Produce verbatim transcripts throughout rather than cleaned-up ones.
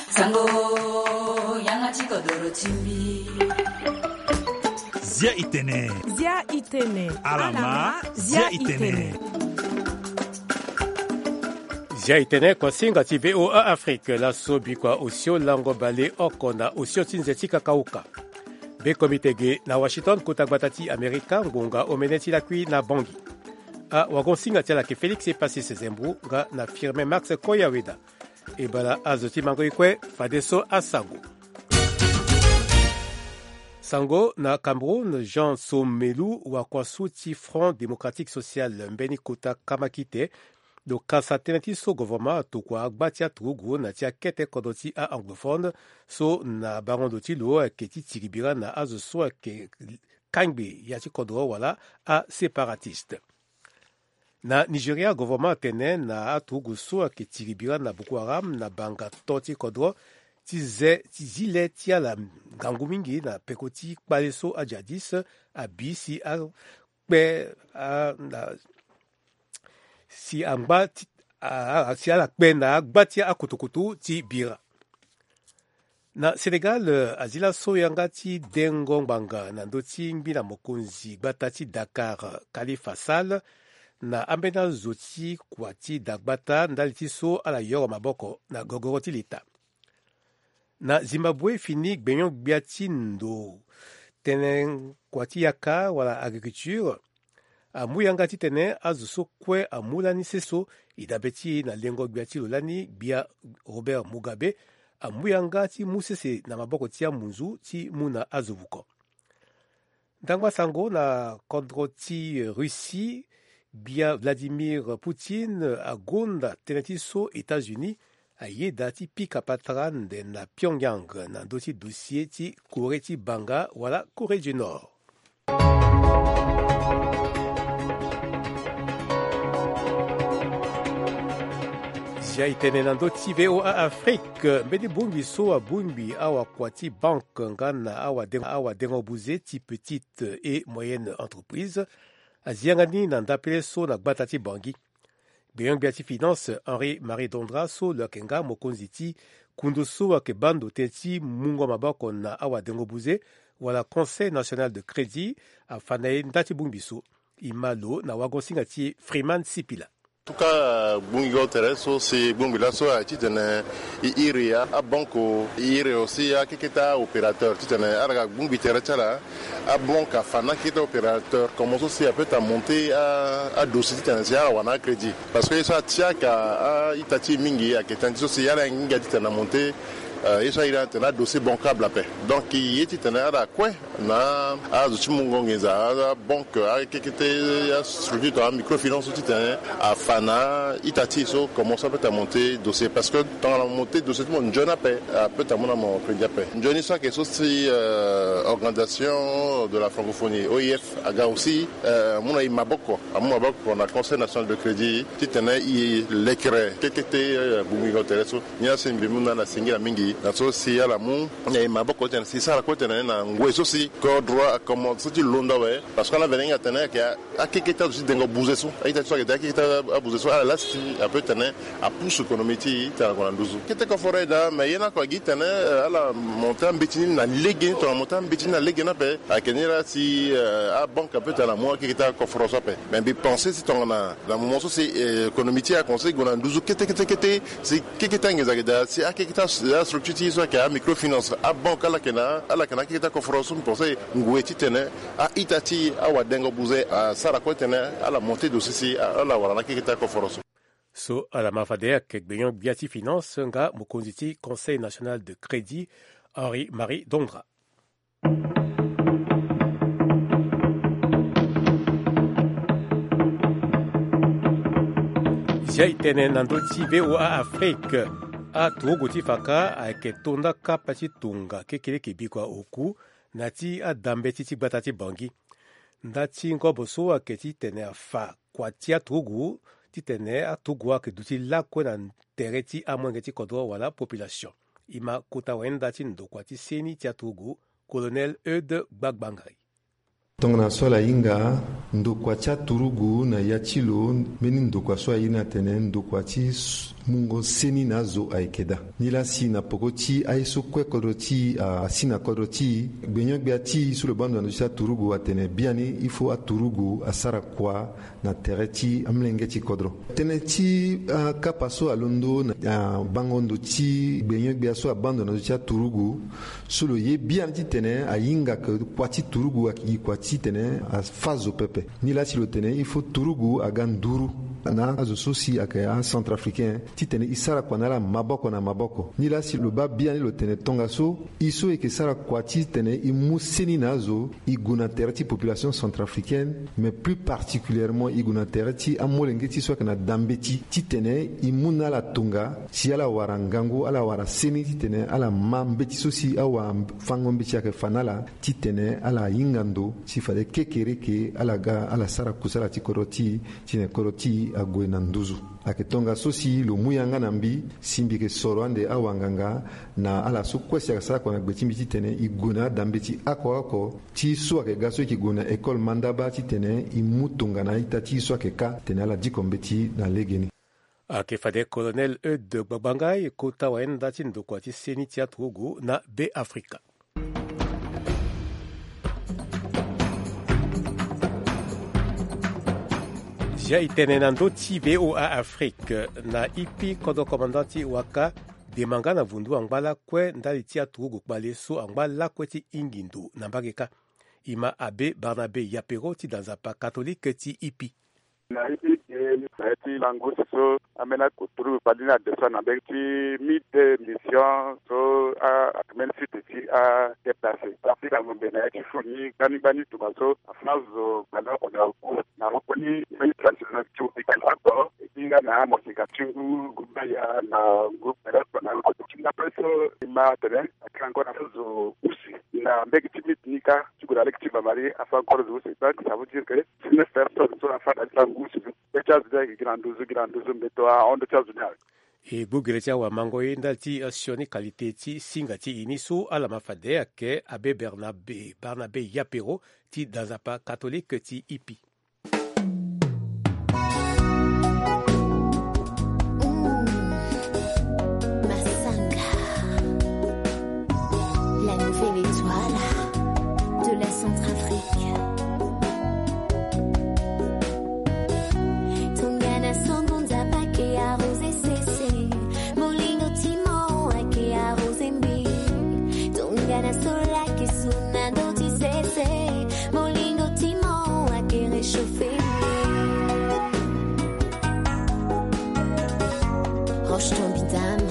Sango, yanga ti kodoro ti mbi. Zia i tene. Zia i tene. Alama, zia i tene. Zia i tene, kuasinga ti V O A Afrique, laso bikua osio lango bale oko na osio ti nze ti kakauka. Be komite ge na Washington, kota gbata ti Amerika, ngonga omene ti lakui na Bangui. Awagonsinga ti ala ayeke Félix Epasis Zembou nga na Firmin Max Koyaweda. E bala azo ti mango e kue, fadeso asango. Sango na Cameroun, Jean Somelu, wakuasu ti Front Démocratique Social, mbeni kota kamakite, lo kasa tënë ti so governement atokua agba ti aturugu na ti akete kodro ti a-anglophone so na bango ndo ti lo ayeke ti tiri bira na azo so ayeke kangbe ya ti kodro wala aséparatiste. Na Nigeria, governement atene na aturugu so ayeke tiri bira na Boko Haram na banga to ti kodro ti ze ti zi le ti ala ngangu mingi na peko ti kpale so ajihadiste abi si akpe a, na, si angba ti, a, a, si ala kpe na agba ti akutukutu ti bira. Na Sénégal, azi laso yanga ti dengo ngbanga na ndö ti ngbi na mokonzi gbata ti Dakar, Khalifa Sall, na ambeni azo ti kua ti dagbata ndali ti so ala yoro maboko na gogoro ti leta. Na Zimbabwe, fini gbenyo-gbia ti ndo tënë kua ti yaka wala agriculture amu yanga titene azo so kue amu lani seso. E dabe ti e na lengo gbia ti lo lani, gbia Robert Mugabe, amu yanga ti mu sese na maboko ti amunzu ti mu na azo vuko. Ndangba sango na kodro ti Russie, gbia Vladimir Poutine agonda tënë ti so États-Unis ayeda ti pika patara nde na Pyongyang na ndö ti dossier ti Corée ti banga wala Corée du Nord. Zia e tene na ndö ti V O A Afrique, mbeni bongbi so abongbi awakua ti banque nga na awadengo, awadengo buze ti petite et moyenne entreprise azi yanga ni na ndapele so na gbata ti Bangui. Gbenyo-gbia ti finance Henri Marie Dondra so lo yeke nga mokonzi ti kundu so ayeke baa ndo tënë ti mungo maboko na awadengo buze wala Conseil National de Crédit afa na e nda ti bongbi so. E ma lo na wagosinga ti Freeman Sipila. En tout cas, gbongbi go tere so si gbongbi laso aye titene e iri a, abanque, e iri aussi akeketa opérateur titene ala ga gbongbi tere ti ala. Abanque afa na akeketa opérateur comme so si apeut amonter a, adossier titene si ala wara na acrédit. Parce que ye so atiaka a-ita ti e mingi ayeke tënë ti so si ala hinga titene amonter, euh, ye so airi atene adossier bancable ape. Donc ye titene ala kue na azo ti mungo nginza, abanque, akekete, astructure tongana amicrofinance so titene afa na a-ita ti e so comme so apeut amonter dossier. Parce que tongana amonter dossier ti mo nzoni ape, apeut amu na mo crédit ape. Nzoni so ayeke so si, euh, Organisation de la Francophonie, O I F, aga aussi, euh, amu na e maboko, amu maboko na Conseil National de Crédit titene e lekere kekete, euh, gbongbi go tere so. Ni asi mbi mu na ala singila mingi na so si ala mu na e maboko titene si sara kue titene na ngoi so si kodro akomanse ti londo awe. Parce que ala vene hinga tene ayeke akekete azo ti dengo buze so, a-ita ti so ayeke daa akekete abuze so, ala laa si apeut titene apousse économie ti e titene ague na nduzu. Kete koforo e daa, mais ye ni oko agi titene, euh, ala monter ambeti ni na lege ni, tongana amonter ambeti ni na lege ni ape, ayeke ni laa si, euh, abanque apeut titene amu akekete akoforo so ape. Mais mbi pense si tongana na moment so si, euh, économie ti e akomanse gue na nduzu kete kete kete, si kekete anginza ayeke daa, si akekete astructure ti e so ayeke amicrofinance, abanque, ala yeke na, ala yeke na akekete akoforo so, mbi pense ngoi titene a-ita ti awadengo buze asara kue titene ala monter dossier si ala wara na akekete akoforo so. So ala ma fade ayeke gbenyo-gbia ti finance nga mokonzi ti Conseil National de Crédit, Henri Marie Dondra. Zia e tene na ndö ti V O A Afrique. Aturugu ti faka ayeke to nda kapa ti tonga kekeleke bikua oku na ti adambeti ti gbata ti Bangui. Nda ti ngobo so ayeke titene afa kua ti aturugu titene aturugu ayeke duti lakue na tere ti amolenge ti kodro wala population. E ma kota wayenda ti ndokua ti seni ti aturugu, Colonel Eudes Gbagbangari. Tongana so ala hinga ndokua ti aturugu na ya ti lo, mbeni ndokua so aye ni atene ndokua ti s- mungo seni na azo ayeke daa. Nilaa si na peko ti aye so kue kodro ti e asi na kodro ti e, gbenyo-gbia ti e so lo baa ndo na ndö ti aturugu atene biani il faut aturugu asara kua na tere ti amolenge ti kodro. Tënë ti akapa so alondo na, ah, bango ndo ti gbenyo-gbia so abaa ndo na ndö ti aturugu, so lo ye biani titene ahinga ke kua ti turugu ayeke gi kua titene afâ zo pepe. Nilaa si lo tene il faut turugu aga nduru na azo so si ayeke acentrafricain titene e sara kua na ala maboko na maboko. Nilaa si lo baa biani lo tene tongaso e so e yeke sara kua titene e mu seni na azo, e gue na tere ti population centrafricaine, mais plus particulièrement e gue na tere ti amolenge ti e so ayeke na da mbeti titene e mu na ala tonga si ala wara ngangu, ala wara seni titene ala ma mbeti so si awafango-mbeti ayeke fa na ala, titene ala hinga ndo si fade kekereke ala ga ala sara kusala ti kodro ti e, titene kodro ti e ague na nduzu. Ayeke tongaso si lo mu yanga na mbi si mbi yeke soro ande awanganga na ala so kue si ayeke sara kua na gbe ti mbi titene e gue na ada mbeti oko oko ti so ayeke ga so e yeke gue na école mandaba titene e mu tongana a-ita ti e so ayeke kâ titene ala diko mbeti na legeni. Ayeke fade Colonel Eudes Gbagbanga e kota wayenda ti ndokua ti seni ti aturugu na Beafrika. Zia e tene na ndö ti V O A Afrique na ipi kodro commandant ti waka dema nga na vundu angba lakue ndali ti aturugu kpale so angba lakue ti hingi ndo na mbage kâ. E ma abbé Barnabé Yapero ti da nzapa katolike ti ipi. Na ipi ke na ye ti lango use so ambeni akoturu kpali ni ade so na mbege ti mi de mission so a, ambeni site ti a déplacer. Afi lango mbe na ye ti fo ni gbani gbani tongaso afa na zo kpali oko na oko na oko ni mbeni traditionnel ti obi kpali oko. E bi nga na amosika ti ngu groupe aya na groupe kpali oko na oko ti nga pe so e ma atene akiri encore afa zo use na mbege ti miti ni kâ. Ti gue na lege ti bamari afa encore zo use. Donc ça veut dire que si neuf personnes so afa na ti lango use. Be ti azo ni ayeke gi na nduzu gi na nduzu mbeto ahon ndö ti azo ni awe. E gbu gere ti awamango ye ndali ti sioni qualité ti singa ti e ni so ala ma fade ayeke abbé Barnabé, Barnabé Yapero ti da nzapa katolike ti ipi. Massanga, la nouvelle étoile de la Centrafrique. Tongana songo nzapa ke arrosé sese, molingo ti mo ake arrosé mbi. Tongana sola ke suna ndo ti sese, molingo ti mo ake réchauffé mbi. Roche ton bidame.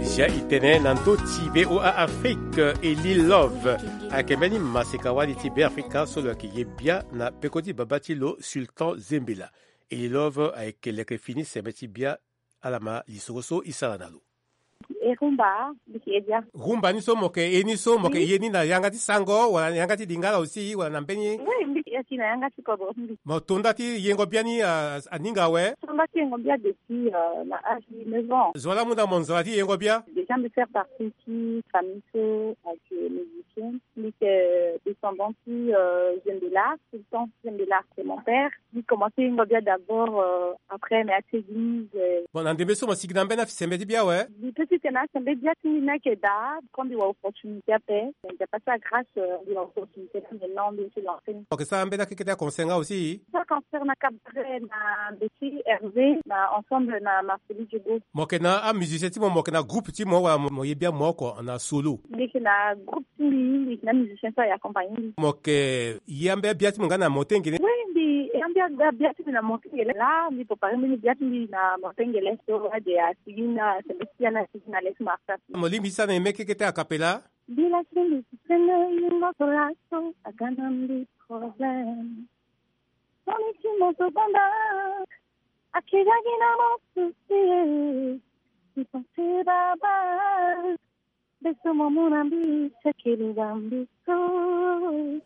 Zia e tene na ndö ti V O A Afrique, Eli Love ayeke mbeni maseka wali ti Beafrika so lo yeke ye bia na peko ti baba ti lo Sultan Zembela. Eli Love ayeke leke fini sembe ti bia. Ala ma lisoro so e sara na lo. E rumba, mbi yeke ye bia. Rumba ni so mo yeke ye ni so mo yeke ye ni na yanga ti sango wala na yanga ti lingala aussi wala na mbeni? Oui, mbi yeke ye ti na yanga ti kodro ti mbi. Mo to nda ti yengo bia ni, ah, aninga awe? To nda ti yengo bia depuis, euh, na âge ti neuf ans. Zo wa la mu na mo nzara ti yengo bia? Déjà mbi faire partie ti famille so ayeke musicien. Mbi yeke descendant ti, euh, Zembela, Sultan Zembela, c'est mon père. Mbi commencé yengo bia d'abord, euh, après na ya ti église, euh. Bon, na ndembe so mo sigi na mbeni asembe ti bia awe? Mbi peut ti tene asembe ti bia ti mbi ni ayeke daa, quand mbi wara opportunité ape. Nzapa asara grâce, euh, mbi wara opportunité ti mbi, non, mbi ti lancer. Mo yeke sara mbeni akeke ti aconcert nga aussi? Sara concert na cabaret na Betty Hervé na ensemble na Marcely Diogo. Mo yeke na amusicien ti mo, mo yeke na groupe ti mo wala mo, mo ye bia mo oko na solo? Mbi yeke na groupe ti mbi, mbi yeke na musicien so aye accompagner mbi. Mo yeke ye ambeni abia ti mo nga na Montagne Gelée? Oui, mbi ye ambeni abia ti mbi na Montagne Gelée. Laa mbi préparer mbeni bia ti mbi na Montagne Gelée so ade asigi na sembe ti bia ni asigi na Lex Marsa. Mo lingbi ti sara na e mbeni keke ti a cappella? Mbi lasi mbi si sene yingo so laso aga na mbi problème. Moni ti mo so banda ake ga gi na mo souci. Mbi pense baba. Mbeso mo mu na mbi ti akele bambi so.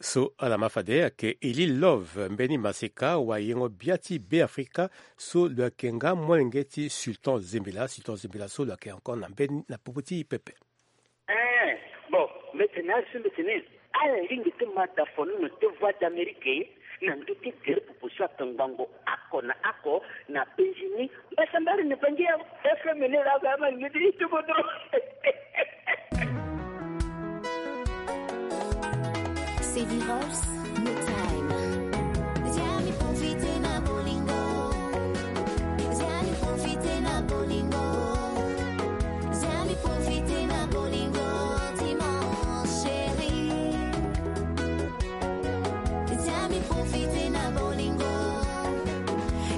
So ala ma fade ayeke Eli Love, mbeni maseka wayengo bia ti Beafrika so lo yeke nga molenge ti Sultan Zembela. Sultan Zembela so lo yeke encore na mbeni na popo ti e pepe. Eh, bon, mbi tene asi mbi tene. Ala lingbi ti ma da fonono ti Voix d'Amérique na ndö ti gere popo so atongbango oko na oko na Benjini. Mbasambari na Bangi ya F M ni la ba ma lingbi ti ti kodro. City House, no time. Zia mi profiter na bolingo. Zia mi profiter na bolingo. Zia mi profiter na bolingo ti mon chéri. Zia mi profiter na bolingo.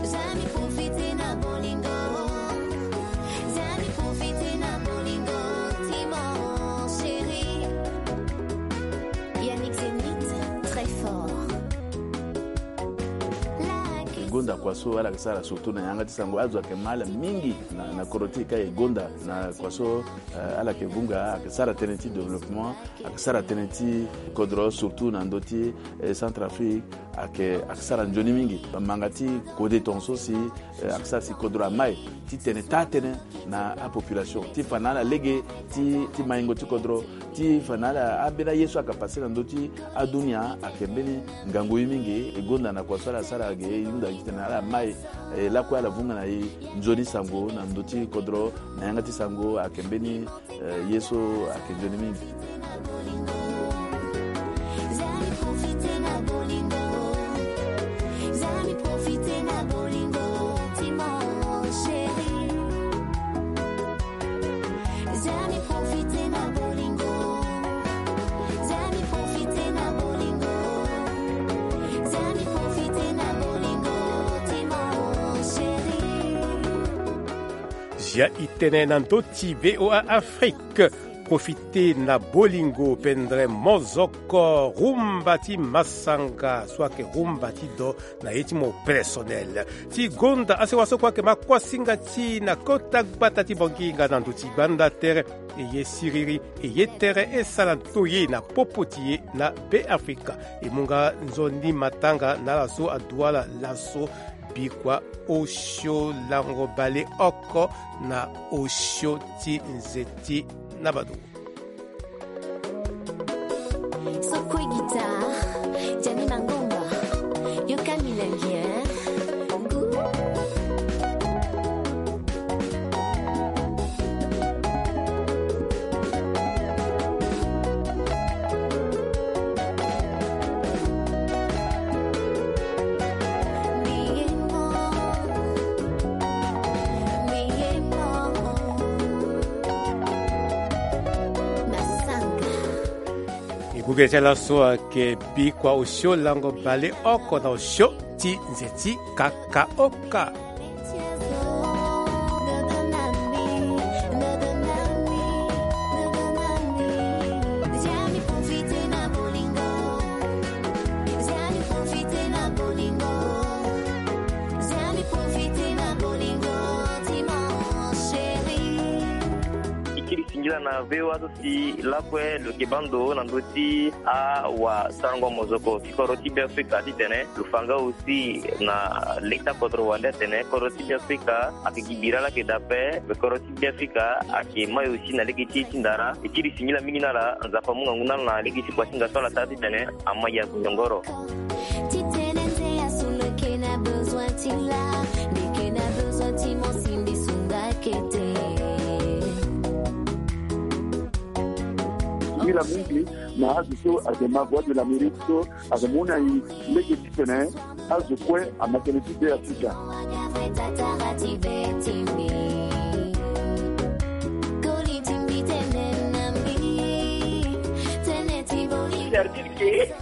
Zia mi profiter na bolingo. Zia mi profiter na bolingo ti mon chéri. Yannick Zenith, très fort. Gonda kua so ala yeke sara surtout na yanga ti sango, azo ayeke ma ala mingi na, na kodro ti e ka e gonda na kua so, eh, ala yeke vunga, ayeke sara tënë ti développement, ayeke sara tënë ti kodro surtout na ndö ti, eh, Centrafrique, ayeke, ayeke sara nzoni mingi. Manga ti kode tongaso si, eh, ayeke sara si kodro amai titene taa tënë na apopulation ti fa na ala lege ti, ti maingo ti kodro, ti fa na ala ambeni aye so ayeke pase na ndö ti adunia ayeke mbeni ngangu ye mingi. E gonda na kua so ala sara ge e hunda titene ala mai, eh, lakue ala vunga na e nzoni sango na ndö ti kodro na yanga ti sango ayeke mbeni, eh, ye so ayeke nzoni mingi. Zia e tene na ndö ti V O A Afrique. Profite na bolingo, pendre mozoko, rumba ti masanga so ayeke rumba ti do na ye ti mo personnel. Ti gonda asewa so kue ayeke ma kuasinga ti e na kota gbata ti Bangi nga na ndö ti gbanda tere. E ye siriri, e ye tere e sara ndoye na popo ti e na Be Afrika. E mu nga nzoni matanga na ala so adu ala laso. Bikua osio lango baleoko na osio ti nzeti na bado. Sokue guitare, Djani Mangomba, yoka milengi, eh? E gugere ti ala so ayeke bikua osio lango baleoko na osio ti nze ti kakaoka. E kiri singila na V O A so si lakue lo yeke baa ndo na ndö ti awasarango mozoko ti kodro ti Beafrika titene lo fa nga aussi na leta kodro wande atene kodro ti Beafrika ayeke gi bira laa ayeke daa ape, me kodro ti Beafrika ayeke mai aussi na lege ti e ti ndara. E kiri singila mingi na ala, Nzapa amu ngangu na ala na lege ti kuasinga so ala sara titene ama ya nyongoro. Titene nze asu lo yeke na besoin ti la, lo yeke na besoin ti mo simbi sunga kete. Singila mingi na azo so ayeke ma Voix de l'Amérique so ayeke mu na e lege titene azo kue ama tënë ti Beafrika. Service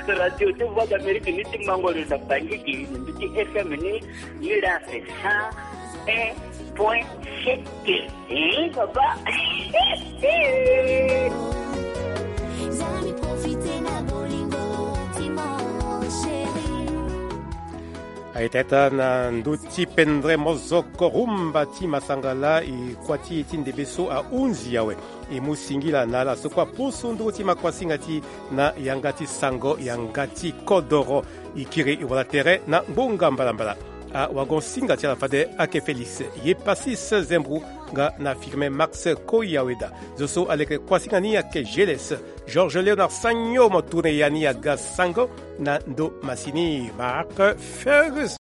ke radio ti Voix d'Amérique ni ti mango lo na Bangui ke na mbi ti F M ni, ni la c'est cent un point sept. Eh, papa. Aye tata na ndö ti pendre mozoko rumba ti masanga laa, e kua ti e ti ndembe so ahunzi awe. E mu singila na ala so kue apusu nduru ti ma kuasinga ti e na yanga ti sango yanga ti kodoro. E kiri e wala tere na ngbonga mbalambala. Awagon-singa ti ala fade ayeke Félix, ye Passis Zembou, nga na Firmin Max Koyaweda. Zo so aleke kuasinga ni ayeke Geles, Georges Léonard Sagno, mo tourne ya ni aga sango na ndo masini Marc Ferguson.